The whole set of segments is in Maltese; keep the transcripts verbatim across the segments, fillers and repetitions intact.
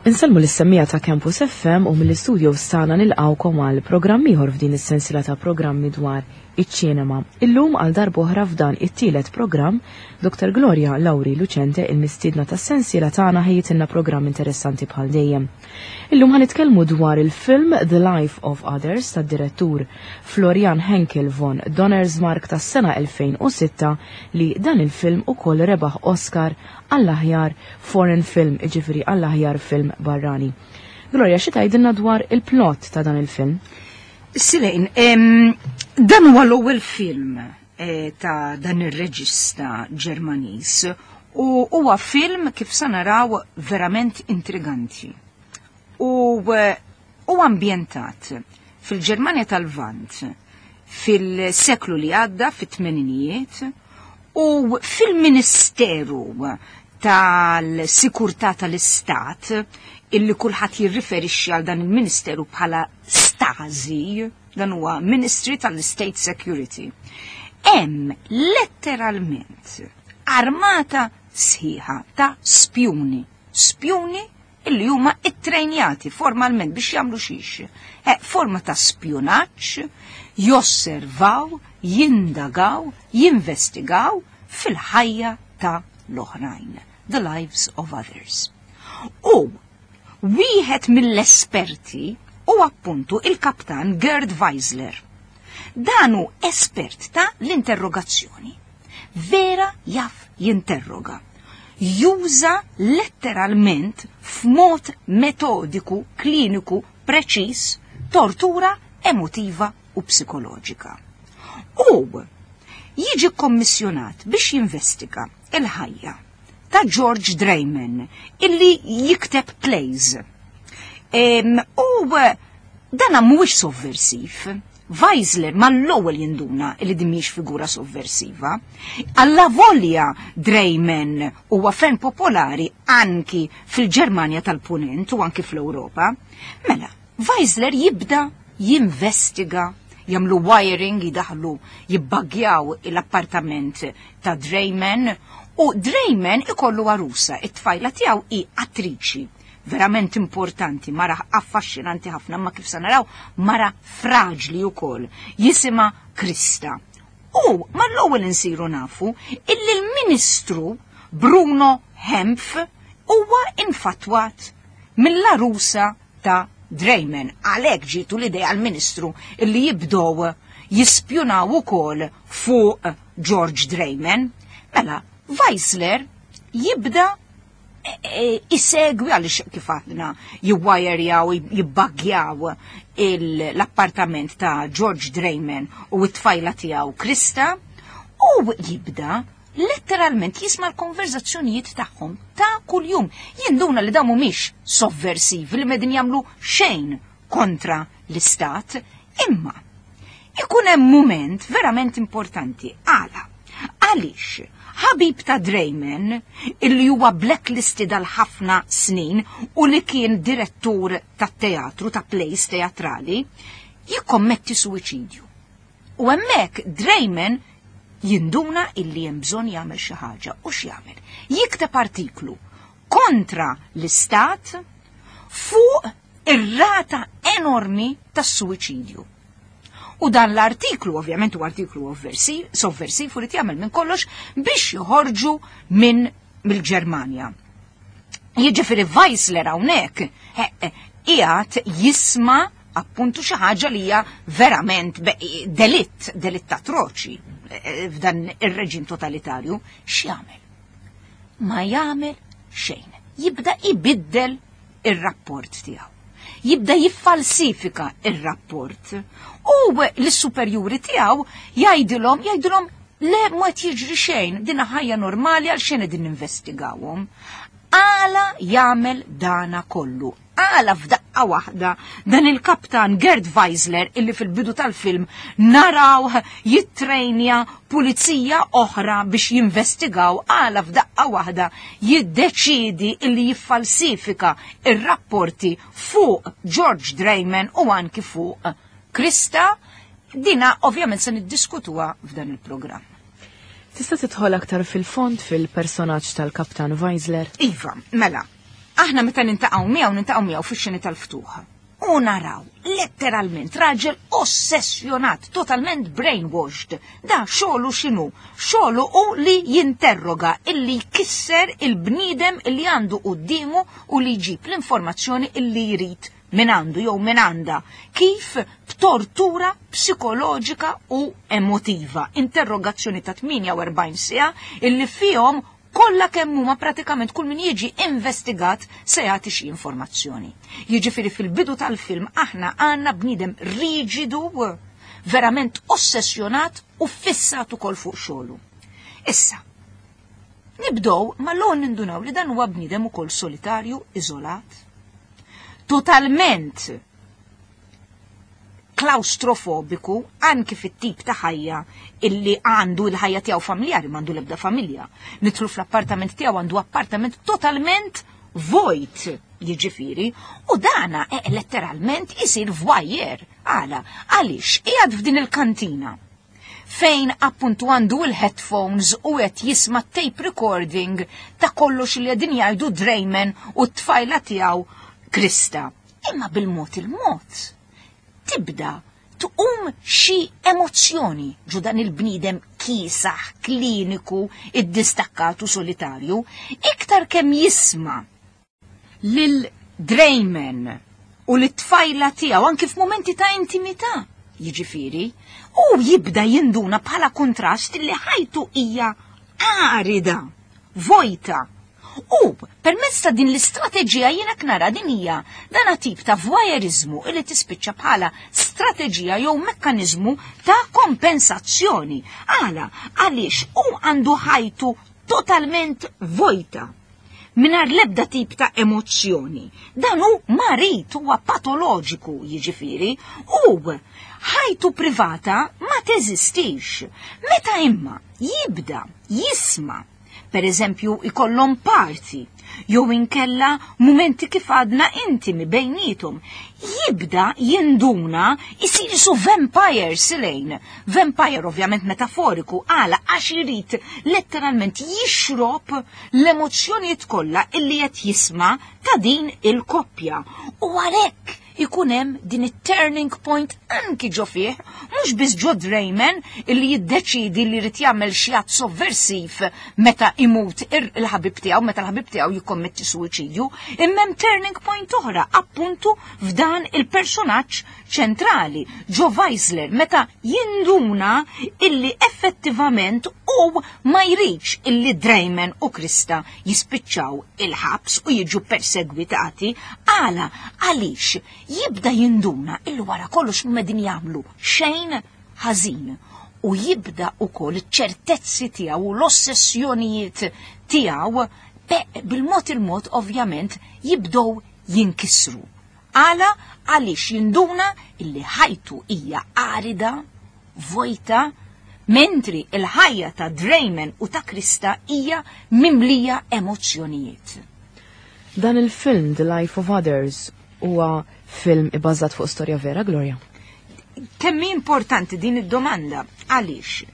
Insellmu lis-semmiegħa ta' Campus F M u mill-istudio tagħna nilqgħukom għal programm ieħor f'din is-sensiela ta' programmi dwar iċ-ċinema. Illum għal darb'oħra f'dan it-tielet programm, Doktor Gloria Lauri Lucente, il-mistiedna tas-sensiela tagħna, ħejjitilna programm interessanti bħal dejjem. Illum ħa nitkellmu dwar il-film The Life of Others tad-direttur Florian Henkel von Donnersmarck tas-sena elfejn u sitta, li dan il-film ukoll rebaħ Oscar għall-aħjar foreign film, iġifieri għall-aħjar film barrani. Gloria, xi tgħidilna dwar il-plot ta' dan il-film? Silejn, dan huwa l-ewwel film eh, ta' dan ir-reġista Ġermaniż u huwa film, kif sa naraw, verament intriganti. U eh, huwa ambjentat fil-Ġermanja tal-Lvant fil-seklu li għadda, fit-tmeninijiet, u fil-Ministeru tal-Sikurtà tal-Istat, illi kulħadd jirriferixxi għal dan il-Ministeru bħala Stasi, dan huwa Ministry tal-State Security. Hemm letteralment armata sħiħa ta' spjuni, spjuni illi huma ittrejnjati formalment biex jagħmlu xiex. E, forma ta' spjunaġġ, josservaw, jindagaw, jinvestigaw fil-ħajja ta' l-oħrajn, the lives of others. U wieħed mill-esperti u appuntu il-kaptan Gerd Wiesler. Dan hu espert ta' l-interrogazzjoni. Vera jaf jinterroga. Juża letteralment f'mod metodiku, kliniku, preċis, tortura emotiva u psikoloġika. U jiġi kommissjonat biex jinvestiga il-ħajja ta' George Dreyman, illi jikteb plays. Em, u dana mhuwiex sovversiv. Weisler mal-ewwel jinduna li din mhix figura sovversiva. Allavolja Dreyman huwa ferm popolari anki fil-Ġermanja tal-Punent u anki fl-Ewropa. Mela, Weisler jibda jinvestiga, jagħmlu wiring, jidaħlu, jibbagjaw l-appartament ta' Dreyman, u Dreyman ikollu arusa, it-tfajla tiegħu hi attriċi verament importanti, mara affaxxinanti ħafna, ma kif sa naraw mara fraġli wkoll, jisimha Krista. U mal-ewwel insiru nafu illi l-Ministru Bruno Hempf huwa infatwat mill-arusa ta' Dreyman. Għalhekk ġietu l-idea għal-Ministru illi jibdow jispjunaw ukoll fuq George Dreyman. Mela, Weisler jibda isegwi, għaliex kif għadna jiwajrjaw, jibbaggjaw l-appartament ta' George Dreyman u t-tfajla tiegħu Krista, u jibda letteralment jisma' l-konverzazzjonijiet tagħhom ta' kuljum. Jinduna li dawn mhumiex sovversivi, li m'qegħdin jagħmlu xejn kontra l-istat, imma ikun hemm moment verament importanti. Għala? Għaliex ħabib ta' Dreyman, illi huwa blacklisted għal ħafna snin u li kien direttur ta' teatru, ta' plays teatrali, jikkommetti suwiċidju. U hemmhekk Dreyman jinduna illi hemm bżonn jagħmel xi ħaġa, u x'jagħmel? Jikteb artiklu kontra l-istat fuq ir-rata enormi tas-suwiċidju. U dan l-artiklu, ovvjament, u artiklu sovversiv, u li jagħmel minn kollox biex joħorġu minn mill-Ġermanja. Jiġifieri Weisler hawnhekk qiegħed jisma' appuntu xi ħaġa li hija verament delitt, delitt atroċi f'dan ir-reġim totalitarju. X'jagħmel? Ma jagħmel xejn. Jibda ibiddel ir-rapport tiegħu. Jibda jiffalsifika ir-rapport. U l-superjuri tiegħu jgħidilhom jgħidilhom le, ma jiġri xejn, dina ħajja normali, għal xejn qegħdin ninvestigawhom. Għala jagħmel dana kollu? Għala f'daqqa waħda dan il-kaptan Gerd Weisler, illi fil-bidu tal-film naraw jittrejnja pulizija oħra biex jinvestigaw, għala f'daqqa waħda jiddeċidi illi jiffalsifika ir-rapporti fuq George Dreyman u anki fuq Krista? Dina ovvjament se niddiskutuha f'dan il-programm. Tista' tidħol aktar fil-fond fil-personaġġ tal-Kaptan Weisler? Iva, mela, Aħna meta niltaqgħu miegħu niltaqgħu miegħu fix-xeni tal-ftuħ. U naraw, letteralment, raġel ossessjonat, totalment brainwashed. Da xogħlu x'inhu? Xogħlu hu li jinterroga, illi jkisser il-bniedem illi għandu quddiemu u li jġib l-informazzjoni illi jrid minn għandu jew minn għandha. Kif? B'tortura psikoloġika u emotiva. Interrogazzjoni ta' tmienja u erbgħin siegħa illi fihom kollha kemm huma pratikament kull min jiġi investigat se jagħti xi informazzjoni. Jiġifieri fil-bidu tal-film aħna għandna bniedem riġidu, verament ossessjonat u fissat ukoll fuq xogħlu. Issa, nibdow ma l nindunaw li dan huwa bniedem ukoll solitarju, iżolat, totalment klaustrofobiku anki fit-tip ta' ħajja illi għandu, il-ħajja tiegħu familjari, m'għandu l-ebda familja. Nidħlu fl-appartament tiegħu, għandu appartament totalment vojt, jiġifieri, u dana e letteralment isir voyeur. Għala? Għaliex qiegħed f'din il-kantina fejn appuntu għandu il-headphones u qed jisma' tape recording ta' kollox li qegħdin jgħidu Dreyman u t-tfajla tiegħu Krista. Imma bil-mod il-mod tibda tqum xi emozzjoni ġo dan il-bniedem kiesaħ, kliniku, iddistakkat u solitarju, iktar kemm jisma' lil Dreyman u l-tfajla tiegħu anki f'mumenti ta' intimità, jiġifieri, u jibda jinduna bħala kontrast li ħajtu hija arida, vojta. U permezz ta' din l-istrateġija, jiena nara din hija dana tip ta' voyeurizmu illi tispiċċa bħala strateġija jew mekkaniżmu ta' kompensazzjoni. Għala? Għaliex u għandu ħajtu totalment vojta, mingħajr l-ebda tip ta' emozzjoni. Dan hu marid, huwa patoloġiku, jiġifieri, u ħajtu privata ma teżistix. Meta imma jibda jisma', per eżempju, ikollhom party, jew inkella mumenti kif għadna intimi bejnietom, jibda jinduna, isir su vampire silejn. Vampire ovvjament metaforiku. Għala? Għax irid letteralment jixrob l-emozzjonijiet kollha illi qed jisma' ta' din il-koppja. U għalhekk ikun hemm din it-turning point anki ġo fih, mhux biss ġo Dreyman illi jiddeċidi li jrid jagħmel xi att sovversiv meta imut il-ħabib tiegħu, meta l-ħabib tiegħu jikkommetti suwiċidju, imma hemm turning point oħra appuntu f'dan il-personaġġ ċentrali, ġo Weisler, meta jinduna illi effettivament u ma jridx illi Dreyman u Krista jispiċċaw il-ħabs u jiġu persegwitati. Għala? Għaliex jibda jinduna illi wara kollox m'qegħdin jagħmlu xejn ħażin u jibda ukoll ċertezzi tiegħu u l-ossessjonijiet tiegħu bil-mod il-mod ovvjament jibdow jinkisru. Għala? Għaliex jinduna illi ħajtu hija arida, vojta, mentri il-ħajja ta' Dreyman u ta' Krista hija mimlija emozzjonijiet. Dan il-film The Life of Others huwa film ibbażat fuq storja vera, Gloria? Kemm importanti din id-domanda? Għaliex?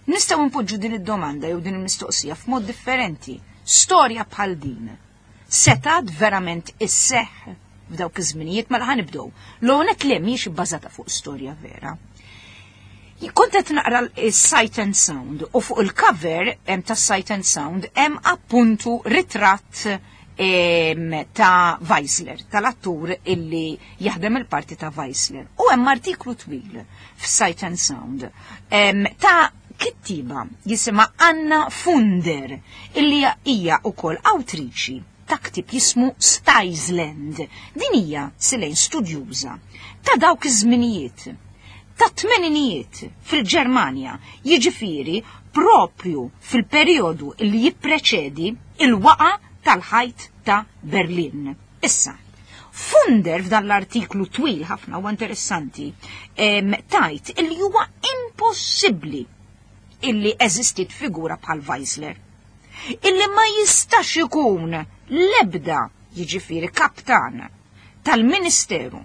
Nistgħu npoġġu din id-domanda jew din il-mistoqsija f'mod differenti. Storja bħal din setgħet verament isseħ f'dawk iż-żminijiet? Mela ħa nibdew. L-għonet li mhijiex ibbażata fuq storja vera. Kont qed naqra s-Sight and Sound u fuq il-cover hemm ta' Sight and Sound hemm appuntu ritratt ta' Weisler, tal-attur illi jaħdem il-parti ta' Weisler. U hemm artiklu twil f'Sight and Sound ta' kittiba jisimha Anna Funder, illi hija wkoll awtriċi ta' ktib jismu Stisland. Din hija silejn studjuża ta' dawk iż-żminijiet, ta' tmeninijiet fil-Ġermanja, jiġifieri propju fil-perjodu illi jippreċedi il-waqa tal-ħajt ta' Berlin. Issa, Funder f'dan l-artiklu twil ħafna u interessanti tgħid illi huwa impossibbli illi eżistit figura bħal Weisler. Illi ma jistax ikun lebda, jiġifieri, kaptan tal-Ministeru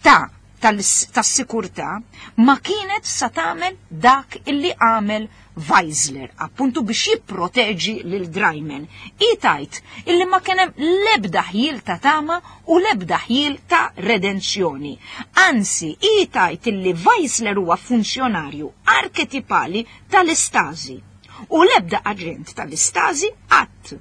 ta' tas-sikurtà ma kienet sa tagħmel dak illi għamel Weisler, appuntu biex jipproteġi lil Dreyman. Hi tgħid illi ma kien hemm l-ebda ħjiel ta' tama u l-ebda ħjiel ta' redenzjoni. Anzi, hi tgħid illi Weisler huwa funzjonarju arketipali tal-Istasi u l-ebda aġent tal-Istasi qatt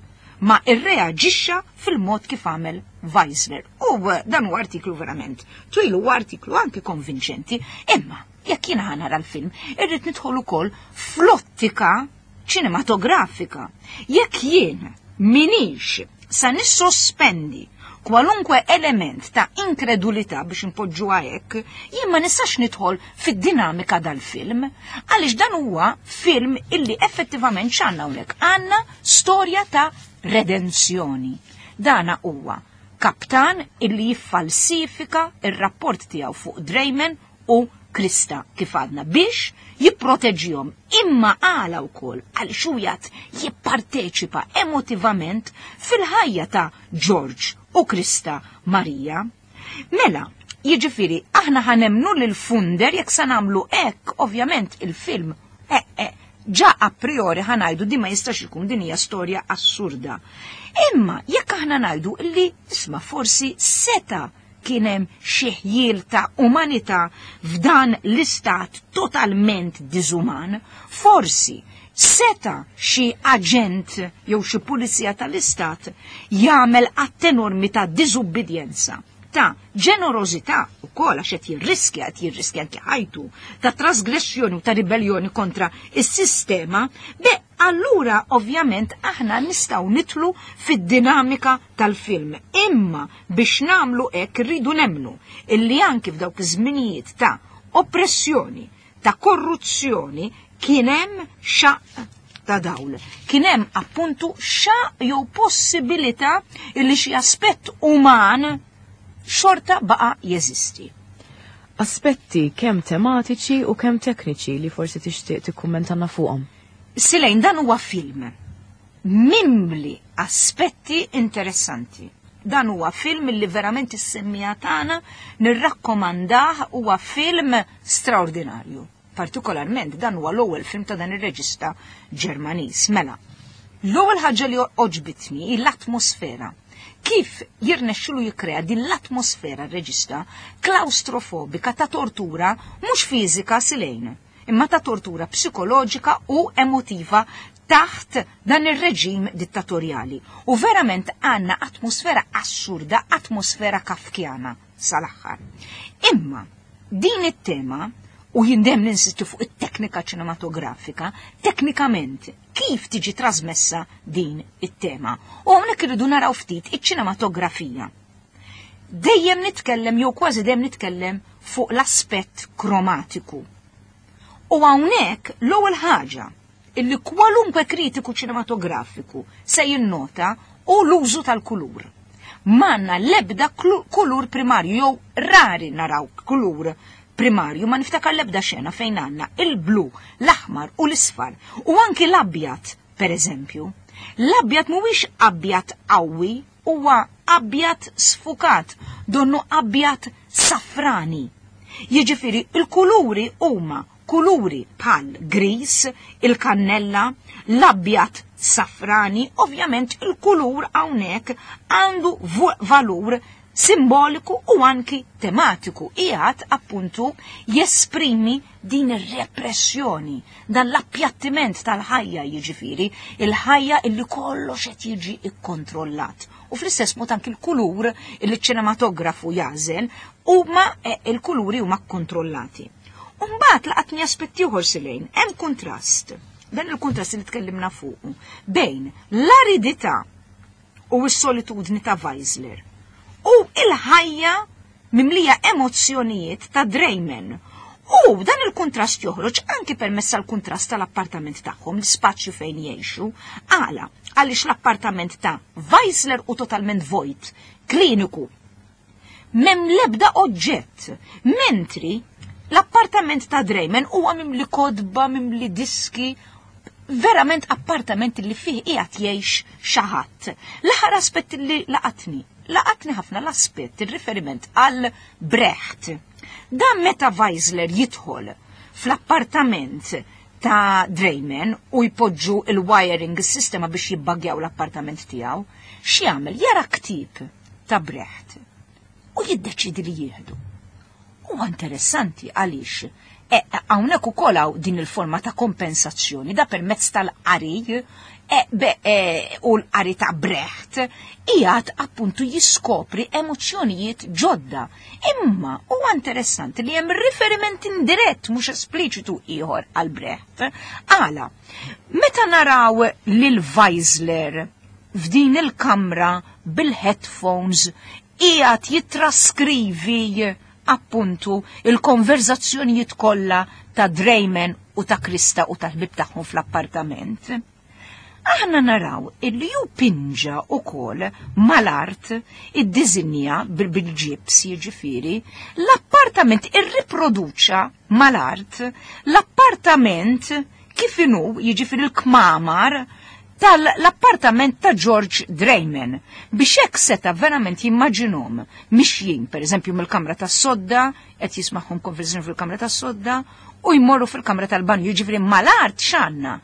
ma irreaġixxa fil-mod kif għamel Weisler. U dan huwa artiklu verament twil, huwa artiklu anki konvinċenti, imma jekk jiena nara l-film, irrid nidħol ukoll fl-ottika ċinematografika. Jekk jien minix sa nissospendi kwalunkwe element ta' inkredulità biex impoġġu hekk, jien ma nistax nidħol fid-dinamika dal-film, għaliex dan huwa film illi effettivament x'għandna hawnhekk? Għandna storja ta' redenzjoni. Dana huwa kaptan illi jiffalsifika ir-rapport tiegħu fuq Dreyman u Krista kif għadna biex jipproteġihom, imma għala wkoll għal xujat jipparteċipa emotivament fil-ħajja ta' George u Krista Maria. Mela, jiġifieri aħna ħa nemmnu lil Funder jekk sa nagħmlu hekk, ovvjament il-film eh, eh, ġa a priori ħa ngħidu di ma jistax ikun, din hija storja assurda. Imma jekk aħna ngħidu li isma' forsi seta' kien hemm xi ħjiel ta' umanità f'dan l-istat totalment diżuman, forsi seta' xi aġent jew xi pulizija tal-istat jagħmel att enormi ta' diżubbidjenza, ta' ġenerożità wkoll għax qed jirriskja, qed jirriskja anke ħajtu, ta' trasgressjoni u ta' ribellioni kontra is-sistema, beh allura ovvjament aħna nistgħu nidħlu fid-dinamika tal-film. Imma biex nagħmlu hekk rridu nemmnu illi anki f'dawk iż-żminijiet ta' oppressjoni, ta' korruzzjoni, kien hemm xaqq ta' dawl. Kien hemm appuntu xaqq jew possibilità illi xi aspett uman xorta baqa' jeżisti. Aspetti kemm tematiċi u kemm tekniċi li forsi tixtieq tikkummentanna fuqhom. Silejn, dan huwa film mimli aspetti interessanti. Dan huwa film li verament is-semmija tagħna nirrakkomandah, huwa film straordinarju. Partikolarment dan huwa l-ewwel film ta' dan ir-reġista Ġermaniż. Mela, l-ewwel ħaġa li oġbitni hi l-atmosfera. Kif jirnexxilu jikkrea din l-atmosfera r-reġista klaustrofobika ta' tortura mhux fiżika silejn, imma ta' tortura psikoloġika u emotiva taħt dan ir-reġim dittatorjali. U verament għandna atmosfera assurda, atmosfera kafkjana sal-aħħar. Imma din it-tema, u jindem ninsistu fuq it-teknika ċinematografika, teknikament kif tiġi trasmessa din it-tema. U hawnhekk irridu naraw ftit iċ-ċinematografija. Dejjem nitkellem, jew kważi dejjem nitkellem fuq l-aspett kromatiku. U hawnhekk l-ewwel ħaġa illi kwalunkwe kritiku ċinematografiku se jinnota hu l-użu tal-kulur. Manna l-ebda kulur primarju, jew rari naraw kulur primarju, ma niftakar l-ebda xena fejn għandna il-blu, l-aħmar u l-isfar, u anki l-abjad, per eżempju. L-abjad mhuwiex abjad qawwi, huwa abjad sfukat, donnu abjad safrani. Jiġifieri il-kuluri huma kuluri bħal gris, il-kannella, l-abjad safrani, ovvjament il-kulur hawnhekk għandu valur simboliku u anki tematiku. Qiegħed appuntu jesprimi din ir-repressjoni, dan l-appjattiment tal-ħajja, jiġifieri il-ħajja illi kollox qed jiġi ikkontrollat. U fl-istess mod anki l-kulur illi ċ-ċinematografu jażel huma il-kuluri huma kkontrollati. Umbagħad laqatni aspetti ieħor silejn, hemm kuntrast, dan il-kuntrast li tkellimna fuqu, bejn l-aridità u s-solitudni ta' Weisler u il-ħajja mimlija emozzjonijiet ta' Dreyman. U dan il-kuntrast joħroġ anki permezz tal-kuntrast tal-appartament tagħhom, l-spazju fejn jgħixu. Għala, għaliex l-appartament ta' Weisler u totalment vojt, kliniku, mem lebda oġġett, mentri l-appartament ta' Dreyman huwa mimli kodba, mimli diski, verament appartament li fih qiegħed jgħix xi ħadd. L-aħħar aspett li laqatni, laqatni ħafna l-aspett, il-riferiment għal Brecht. Dan meta Weisler jidħol fl-appartament ta' Dreyman u jpoġġu il-wiring is-sistema biex jibbagjaw l-appartament tiegħu, x'jagħmel? Jara ktieb ta' Brecht u jiddeċidi li jieħdu. Huwa interessanti għaliex hawnhekk ukoll hawn din il-forma ta' kompensazzjoni da permezz tal-qari e, be, e, u l-qari ta' Brecht qiegħed appuntu jiskopri emozzjonijiet ġodda. Imma huwa interessanti li hemm riferiment indirett mhux espliċitu ieħor għal Brecht. Għala, meta naraw lil Weisler f'din il-kamra bil-headphones qiegħed jitraskrivi appuntu il-konverzazzjonijiet kollha ta' Dreyman u ta' Krista u tal-ħbib tagħhom fl-appartament. Aħna naraw illi ju pinġa ukoll mal-art id-dizinja bil-ġibs jiġifieri l-appartament irriproduċa mal-art l-appartament kif inhu jiġifieri l-kmamar tal-appartament ta' George Dreyman biex hekk seta' verament jimmaġinhom mixjin pereżempju mill-kamra tas-sodda, qed jismagħhom konversazzjoni fil-kamra tas-sodda u jmorru fil-kamra tal-banju, jiġifieri mal-art x'għandna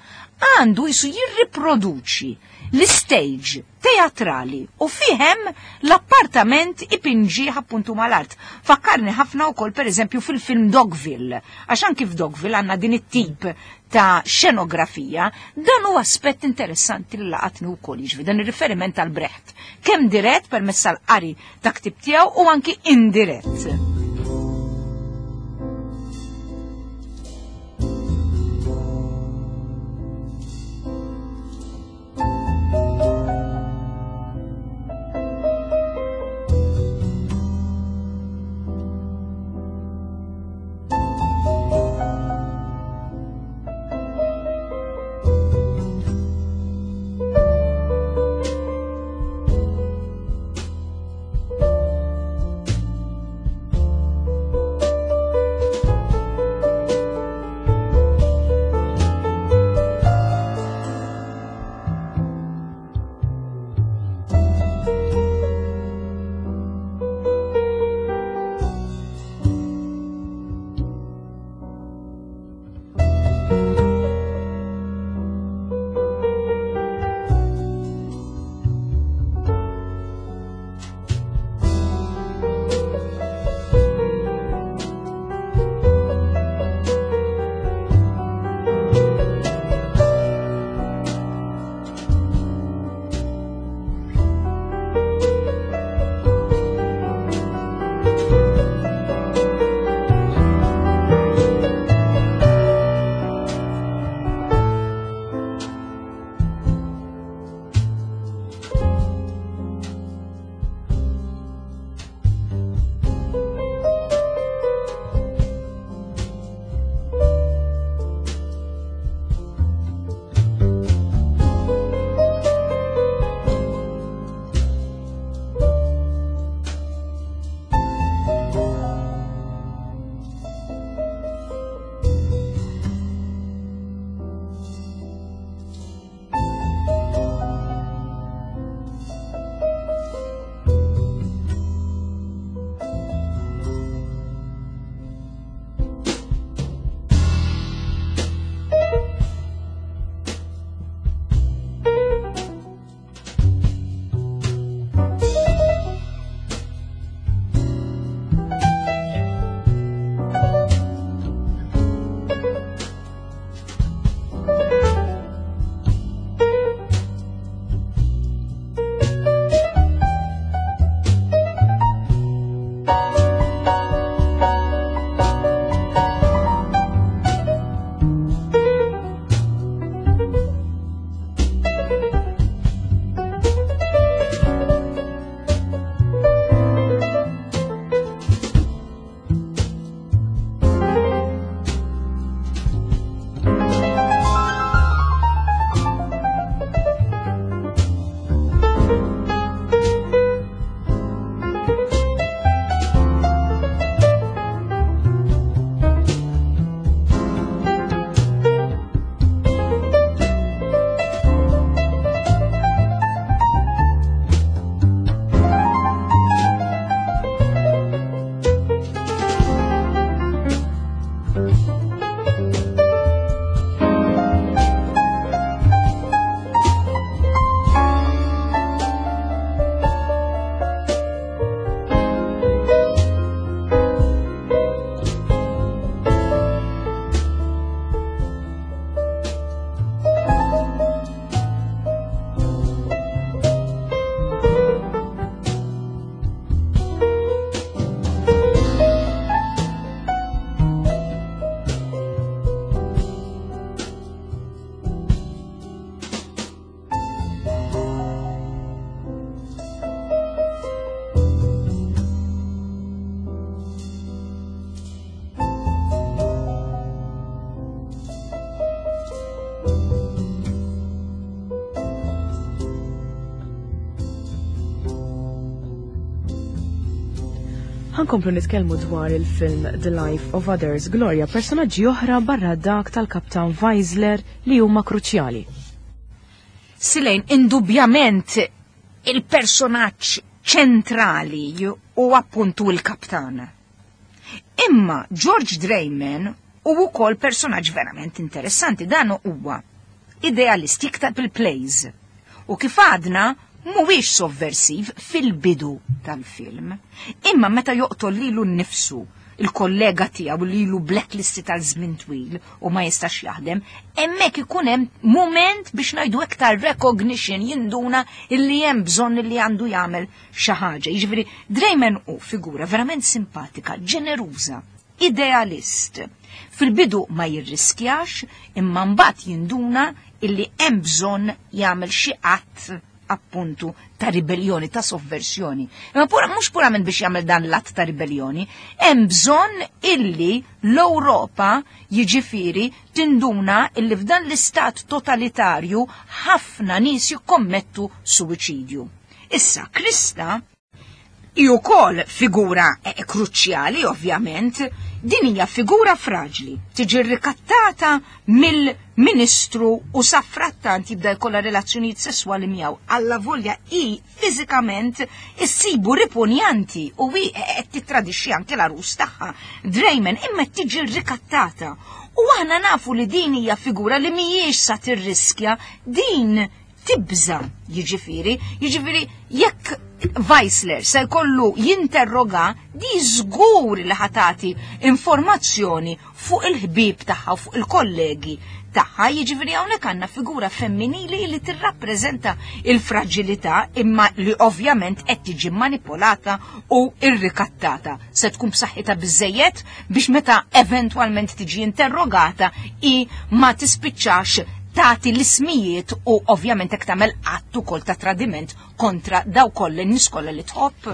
għandu jisu jirriproduċi l-stage teatrali u fihem l-appartament ipinġi appuntu mal-art. Fakkarni ħafna wkoll pereżempju fil-film Dogville, għax anki f'Dogville għandna din it-tip ta' xenografija, dan huwa aspett interessanti li laqatni wkoll, jiġifieri dan ir-riferiment għal Brecht, kemm dirett permezz tal-qari ta' ktib tiegħu u anki indirett. Ħa nkomplu nitkellmu dwar il-film The Life of Others, Gloria, personaġġi oħra barra dak tal-Kaptan Weisler li huma kruċjali. Silejn, indubjament il-personaġġ ċentrali u appuntu il-kaptan. Imma George Dreyman u wkoll personaġġ verament interessanti, dan huwa idealist, jikteb il-plays. U kif għadna, mhuwiex sovversiv fil-bidu tal-film. Imma meta joqtol lilu nnifsu, il-kollega tiegħu li ilu blacklisted tal-żmien twil u ma jistax jaħdem, hemmhekk ikun hemm moment biex ngħidu iktar recognition, jinduna illi hemm bżonn li għandu jagħmel xi ħaġa. Jiġifieri Dreyman hu figura verament simpatika, ġeneruża, idealist. Fil-bidu ma jirriskjax, imma mbagħad jinduna illi hemm bżonn jagħmel xi att appuntu ta' ribellioni, ta' sovversjoni. Imma pura, mhux purament biex jagħmel dan l-att ta' ribellioni, hemm bżonn illi l-Ewropa, jiġifieri, tinduna illi f'dan l-istat totalitarju ħafna nies jikkommettu suwiċidju. Issa, Krista hi wkoll figura eh, kruċjali, ovvjament, din hija figura fraġli, tiġi rikattata mill-ministru u sadanittant jibda jkollha relazzjonijiet sesswali miegħu. Alla volja hi fiżikament issibu ripugnanti u hi qed tittradixxi anke l-għarus tagħha Dreyman, imma tiġi rikattata. U aħna nafu li din hija figura li mhijiex sa tirriskja, din tibża, jiġifieri, jiġifieri jekk Weisler se jkollu jinterroga di żgur li ħa tati informazzjoni fuq il-ħbib tagħha u fuq il-kollegi tagħha, jiġifieri hawnhekk għandna figura femminili li tirrappreżenta il-fragilità imma li ovvjament qed tiġi manipolata u irrikattata. Se tkun b'saħħitha biżejjed biex meta eventwalment tiġi interrogata i ma tispiċċax tagħti l-ismijiet u ovvjament hekk tagħmel att ukoll ta' tradiment kontra daw kollha n-nies kollha li tħobb.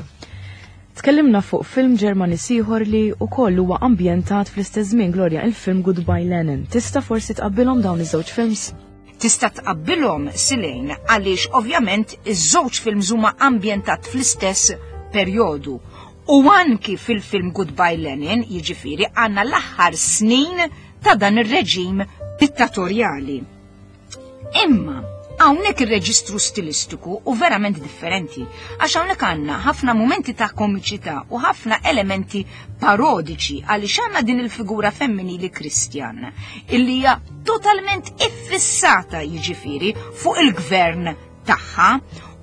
Tkellimna fuq film Ġermaniż ieħor li wkoll huwa ambjentat fl-istess żmien, Gloria, il-film Goodbye Lenin. Tista' forsi tqabbilhom dawn iż-żewġ films? Tista' tqabbilhom, Silejn, għaliex ovvjament iż-żewġ films huma ambjentat fl-istess perjodu. U anki fil-film Goodbye Lenin, jiġifieri, għandna l-aħħar snin ta' dan ir-reġim dittatorjali. Imma hawnhekk ir-reġistru stilistiku u verament differenti, għax hawnhekk għandna ħafna momenti ta' komiċità u ħafna elementi parodiċi, għaliex għandna din il-figura femminili Kristjan illi hija totalment iffissata, jiġifieri, fuq il-gvern tagħha.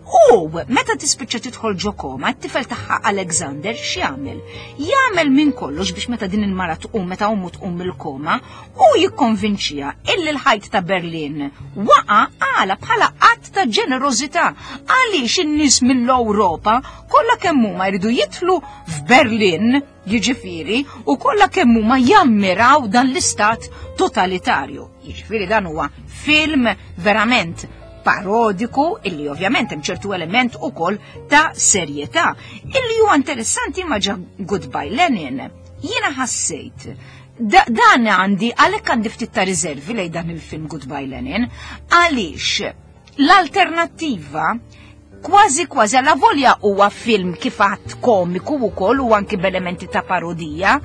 U meta tispiċċa tidħol ġo koma, t-tifel tagħha Alexander x'jagħmel? Jagħmel minn kollox biex meta din il-mara tqum, meta ommu tqum mill-koma, u jikkonvinċija illi l-ħajt ta' Berlin waqa għala bħala att ta' ġenerożità, għaliex in-nies mill-Ewropa kollha kemm huma jridu jidħlu f'Berlin, jiġifieri, u kollha kemm huma jammiraw dan l-istat totalitarju. Jiġifieri dan huwa film verament parodiku illi ovvjament hemm ċertu element ukoll ta' serjetà. Illi huwa interessanti ma ġa Goodbye Lenin, jiena ħassejt da, dan għandi, għalhekk għandi ftit ta' riservi lejn dan il-film Goodbye Lenin, għaliex l-alternattiva kważi kważi, alla volja huwa film kif għadt komiku wkoll u anki b'elementi ta' parodija,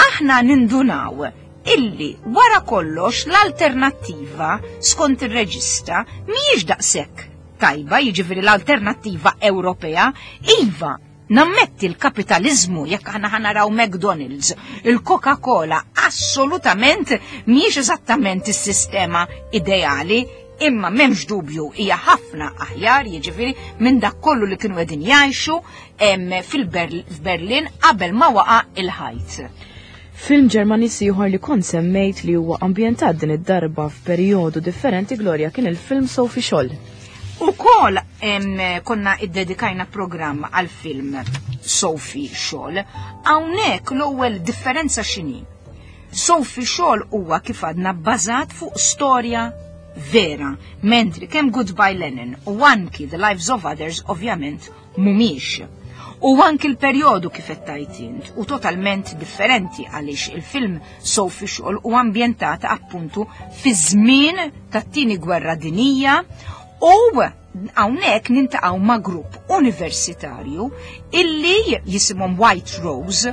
aħna nindunaw illi wara kollox l-alternattiva skont ir-reġista mhijiex daqshekk tajba, jiġifieri l-alternattiva Ewropea, iva, nammetti l-kapitalizmu, jekk aħna ħa naraw McDonald's, il-Coca-Cola, assolutament mhijiex eżattament is-sistema ideali, imma m'hemmx dubju hija ħafna aħjar, jiġifieri, minn dak kollu li kienu qegħdin jgħixu fil-Berlin qabel ma waqa' il-ħajt. Film Ġermaniż ieħor li kont semmejt li huwa ambjentat din id-darba f'perjodu differenti, Gloria, kien il-film Sophie Scholl. Ukoll konna iddedikajna programm għal film Sophie Scholl. Hawnhekk l-ewwel differenza x'inhi? Sophie Scholl huwa kif għadna bbażat fuq storja vera, mentri kemm Goodbye Lenin u anki The Lives of Others ovvjament mhumiex. U anki l-perjodu kif qed tgħid int u totalment differenti, għaliex il-film Sophie Scholl u ambjentat appuntu fi żmien tat-tieni gwerra dinija u Hawnhekk niltaqgħu ma' grupp universitarju illi jisimhom White Rose,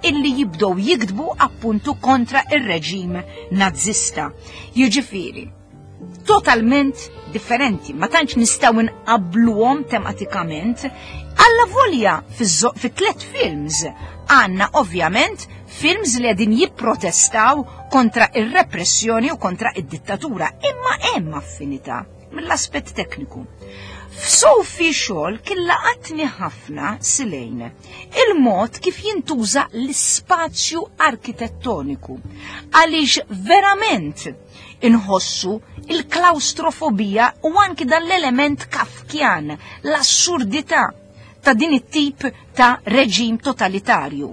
illi jibdew jiktbu appuntu kontra ir-reġim nazista. Jiġifieri, totalment differenti, ma tantx nistgħu nqabbluhom tematikament, alla volja fi tlet films għandna ovvjament films li qegħdin jipprotestaw kontra ir-repressjoni u kontra id-dittatura, imma hemm affinità mill-aspett tekniku. F'Sophie Scholl kien laqatni ħafna silejn il-mod kif jintuża l-ispazju arkitettoniku, għaliex verament inħossu il-klaustrofobija u anki dan l-element kafkjan, l-assurdità ta' din it-tip ta' reġim totalitarju.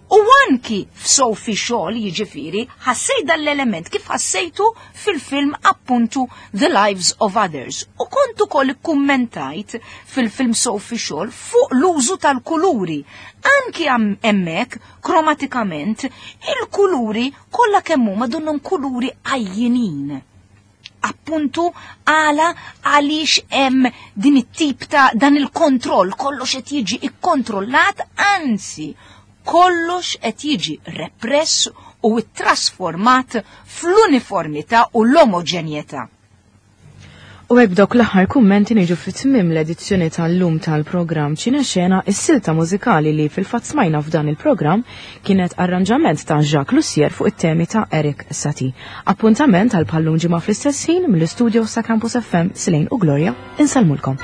U anki f'Sophie Scholl, jiġifieri, ħassejt dan l-element kif ħassejtu fil-film appuntu The Lives of Others. U kont ukoll ikkummentajt fil-film Sophie Scholl fuq l-użu tal-kuluri. Anki hemmhekk kromatikament il-kuluri kollha kemm huma donnhom kuluri għajjinin. Appuntu għala għaliex hemm din it-tip ta' dan il-kontroll, kollox qed jiġi ikkontrollat, anzi kollox qed jiġi repress u trasformat fl-uniformità u l-omoġenjetà. U hekk dawk l-aħħar kummenti niġu fit-tmiem l-edizzjoni tal-lum tal-programm Ċinexena. Is-silta mużikali li fil-fatt smajna f'dan il-programm kienet arranġament ta' Jacques Lussier fuq it-temi ta' Erik Satie. Appuntament għal bħal-lum ġimgħa fl-istess ħin mill-istudio sa' Campus F M, Silejn u Gloria, insellmulkom.